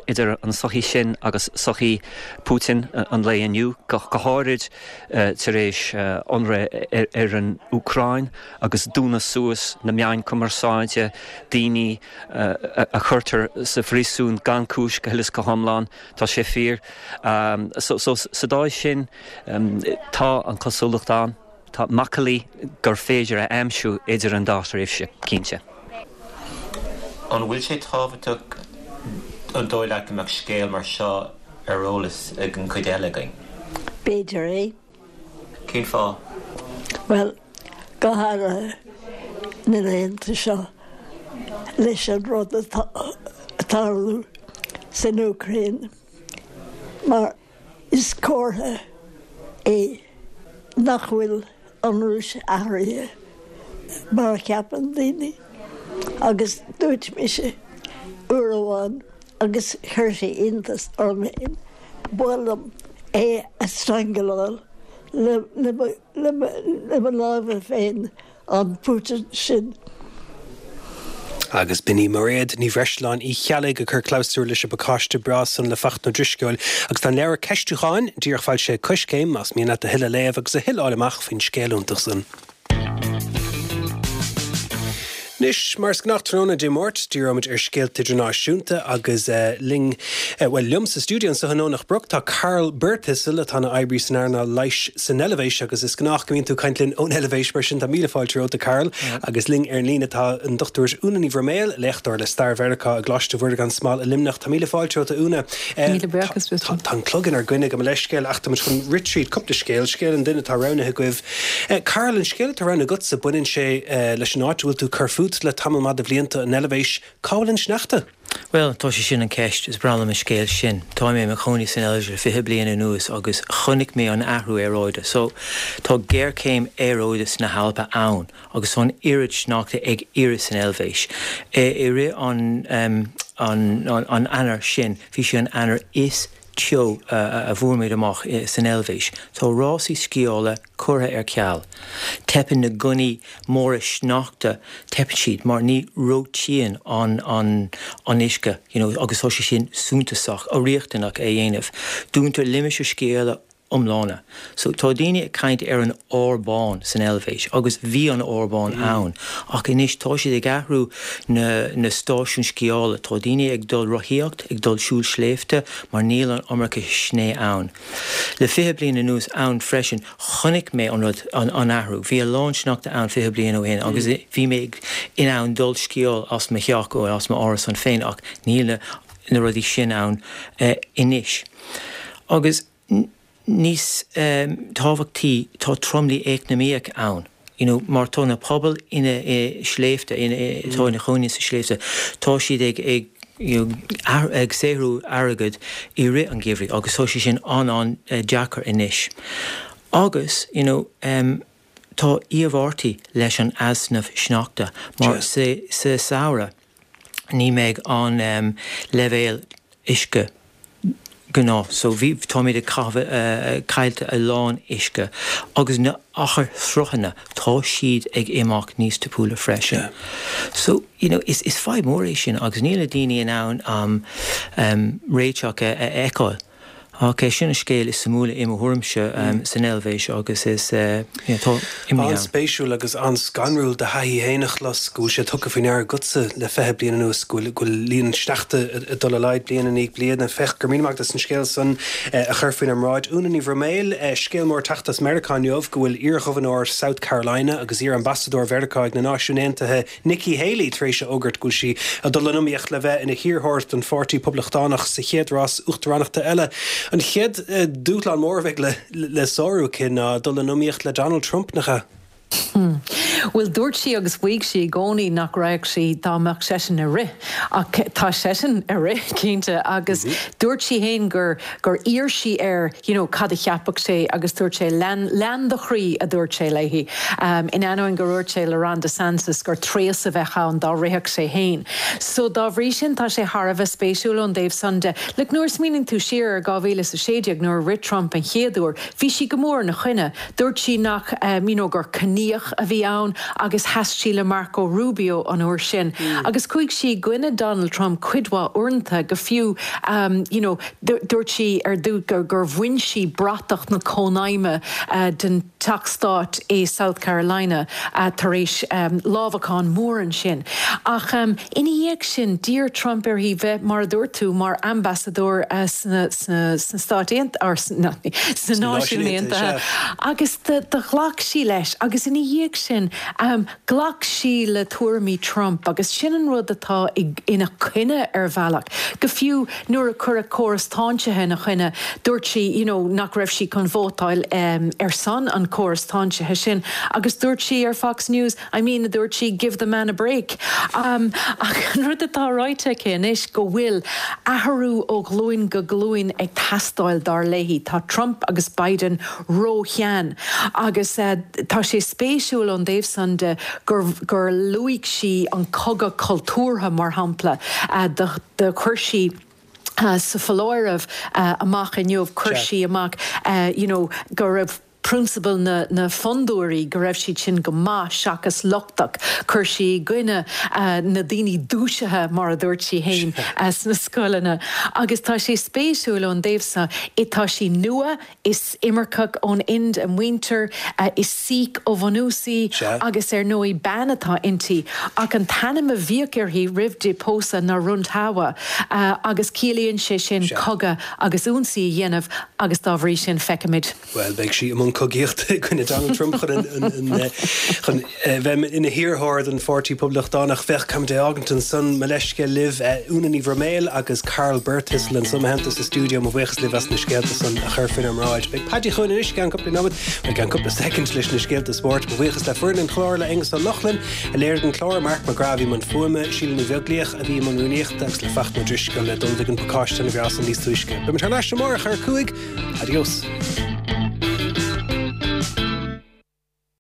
idir an sochaí sin agus sochaí Putin an lae inniu, go háirid tar éis ionradh ar an Úcráin agus dúnadh suas na meáin cumarsáide, daoine a chuirtear sa phríosún gan cúis go huile is go hiomlán, tá sé fíor. So sa dóigh sin tá an cosúlacht ann. Tá macallaí gur féidir a aimsiú idir an dá thréimhse, cinnte. An bhfuil sé tábhachtach, an dóigh leat, go mbeadh scéal mar seo ar eolas ag an chuid eile againn? B'fhéidir é. Cén fáth? Bhuel, go háirithe na laethanta seo leis an rud atá ag tarlú san Úcráin, mar is comhartha é nach bhfuil an Rúis athraithe mar a cheapann daoine. Agus dúirt mise uair amháin agus chuir sé iontas orm féin, ba mhaith liom é a strangaláil le mo lámha féin, an Putin sin. Agus b'in í Mairéad Ní Bhreisleáin Uí Cheallaigh ag cur clabhsúr leis an bpacáiste breá san le Fachtna Ó Drisceoil. Agus tá an leabhar Ceistiúcháin díreach foilsithe ag Coiscéim, más mian leat a thuilleadh a léamh agus a thuilleadh a fháil amach faoin scéal iontach san. Anois, mar is gnách tráthnóna Dé Máirt, díreoimid ar scéalta idirnáisiúnta agus linn, bhuel, liom sa stiúideo anseo i nDomhnach Broc tá Karl Birthistle atá ina oibrí san earnáil leighis san Eilvéis agus is gnách go mbíonn tú ag caint linn ón Eilvéis mar sin tá míle fáilte romhat a Karl. Agus linn ar an líne tá an Dochtúir Úna Ní Bhroiméil, léachtóir le Stair Mheiriceá i gColáiste Mhuire gan Smál i Luimneach. Tá míle fáilte romhat a Úna. Míle buíochas. Tá an clog inár gcoinne gabh mo leithscéal ach táimid chun rith tríd cúpla scéal, scéal an duine atá roghnaithe agaibh. Karl, an scéal atá roghnaithe agatsa, baineann sé leis an áit a bhfuil tú ag cur fút le tamall maith de bhlianta, an Eilvéis. Cá bhfuil an sneachta? Bhuel, tá sé sin an ceist. Is breá liom an scéal sin. Tá mé i mo chónaí san Eilvéis le fiche bliain anuas agus chonaic mé an athrú aeráide. So, tá géarchéim aeráide sna hAlpa ann agus tá an oiread sneachta ag éirí san Eilvéis. I rith an an an Eanáir sin, bhí sé an Eanáir is teo a bhfuair muid amach san Eilvéis. Tá rásaí sciála curtha ar ceal. Teipeann na gunnaí móra sneachta, teipeann siad mar ní reoitíonn an an an uisce you know agus tá sé sin suntasach, riachtanach é dhéanamh. Dúntar limistéir sciála iomlána. So tá daoine ag caint ar an ár bán san Eilvéis agus bhí an ár bán ann ach anois tá siad ag athrú na na stáisiúin sciála. Tá daoine ag dul rothaíocht, ag dul siúl sléibhte mar níl an iomarca sné ann. Le fiche bliain anuas ann freisin chonaic mé an rud an an athrú. Bhí a lán sneachta ann fiche bliain ó shin agus bhí mé in ann dul sciáil as mo theach ó as m'árasán féin ach níl na na rudaí sin ann anois. Agus níos tábhachtaí, tá tromluí eacnamaíoch ann, you know, mar tá na pobail ina sléibhte, atá ina chónaí sa sléibhte, tá siad ag ag you know, ag saothrú airgead i rith an gheimhridh agus tá sé sin an-an-deacair anois. Agus, you know, um, tá iarmhairtí leis an easnamh sneachta mar sa sa samhradh, ní mbeidh an um, leibhéal uisce gnáth. So bhí táimid ag caillte a lán uisce agus na achair sruthanna tá siad ag imeacht níos tapúla freisin. So you know, is, is fadhb mór é sin agus níl na daoine in ann um, um, réiteach a, a fheiceáil. Ok, sin an scéal is suimiúla i mo thuairimse um, san Eilvéis agus is uh, you know, tá imní ann. An-spéisiúil agus an-scanrúil do thaithí féin a chlos go bhfuil sé tugtha faoi ndeara agatsa le fiche bliain anuas go bhfuil go bhfuil líon an sneachta ag dul i laghad bliain i ndiaidh bliana. Féach go raibh míle maith agat as an scéal san a chur faoinár mbráid. Úna Ní Bhroiméil, scéal mór teacht as Meiriceá inniu go bhfuil iarghobharnóir South Carolina agus iar-ambasadóir Mheiriceá ag na Náisiúin Aontaithe Nikki Haley tar éis a fhógairt go bhfuil sí ag dul in iomaíocht le bheith ina hiarrthóir don Pháirtí Poblachtánach sa chéad rás uachtaránachta eile. An chéad dúshlán mór a bheidh le le sárú aici ná dul in iomaíocht le Donald Trump, nach ea? Bhuel, dúirt sí agus mhaígh sí i gcónaí nach raghadh sí dá mbeadh seisean ag rith, ach tá seisean ag rith, cinnte, agus dúirt sí féin gur gur iarr sí air you know, cad a cheapfadh sé agus dúirt sé lean lean do chroí a dúirt sé léi. Um, in ainneoin gur dhúirt sé le Ron DeSantis gur tréas a bheadh ann dá rithfeadh sé féin. So dá bhrí sin tá sé thar a bheith spéisiúil ón dtaobh san de. Look, nuair a smaoiníonn tú siar ar dhá mhíle is a sé déag nuair a rith Trump an chéad uair, bhí sí go mór ina choinne. Dúirt sí nach um, you know, gur ciníoch a bhí ann agus sheas sí le Marco Rubio an uair sin. Mm. Agus chuaigh sí i gcoinne Donald Trump cuid mhaith uaireanta go fiú um, you know, dúirt sí ar dtús gur, gur bhain sí bratach na cónaidhme uh, den Teach Stáit i South Carolina uh, tar éis um, lámhachán mór ansin. Ach um, ina dhiaidh sin d'iarr Trump uirthi bheith mar a dúirt tú mar ambasadóir uh, sna, sna, sna Stáit Aontaithe sna, sna Náisiúin Aontaithe. Agus do, do ghlac sí leis agus ina dhiaidh sin um, ghlac sí le tuairimí Trump agus sin an rud atá ina choinne ar bhealach. Go fiú nuair a cuireadh córas táinsithe ina choinne, dúirt sí you know, nach raibh sí chun vótáil um, ar son an córas táinsithe sin, agus dúirt sí ar Fox News, I mean dúirt sí give the man a break. Um, ach an rud atá ráite aici anois go bhfuil athrú ó ghlúin go glúin ag teastáil dar léi. Tá Trump agus Biden róshean agus uh, tá sé spéisiúil ón dtaobh san de gur, gur luaigh sí an cogadh cultúrtha mar shampla uh, do, do chuir sí Uh, sa foláireamh uh, amach inniu chuir sí amach uh, you know, go raibh prionsabail na, na fondúirí go raibh siad sin go maith seachas lochtach, chuir sí i gcoinne uh, na daoine dúisithe mar a dúirt sí féin uh, sna scoileanna. Agus tá sé spéisiúil ón dtaobh seo i tá sí nua is imirceach ón Ind a muintir uh, is Sikh ó bhunús í agus ar ndóigh bean atá inti ach an t-ainm a bhíodh uirthi roimh di pósadh ná Randhawa uh, agus ciallaíonn sé sin cogadh agus ionsaí a dhéanamh agus dá bhrí sin feicimid. Well beidh sí i mbun cogaíochta i gcoinne Donald Trump chun chun bheith ina hiarrthóir don Pháirtí Poblachtánach féach caithfimid é fhágaint ansan mo leithscéal libh Úna Ní Bhroiméil agus Karl Birthistle anso i mo theannta sa stiúideo mo bhuíochas libh as na scéalta san a chur faoinár mbráid. Beidh Paddy chugainn anois i gceann cúpla nóiméad i gceann cúpla soicind leis na scéalta spóirt, mo bhuíochas le foireann an chláir le Aonghus Ó Lochlainn a léirigh an clár Mark McGrath i mbun fuaime, Síle Ní Bheaglaoich a bhí i mbun rúnaíochta agus le Fachtna Ó Drisceoil a d'ullmhaigh an pacáiste an bhreá san níos túisce. Beimid thar n-ais amárach ar a cúig, adios.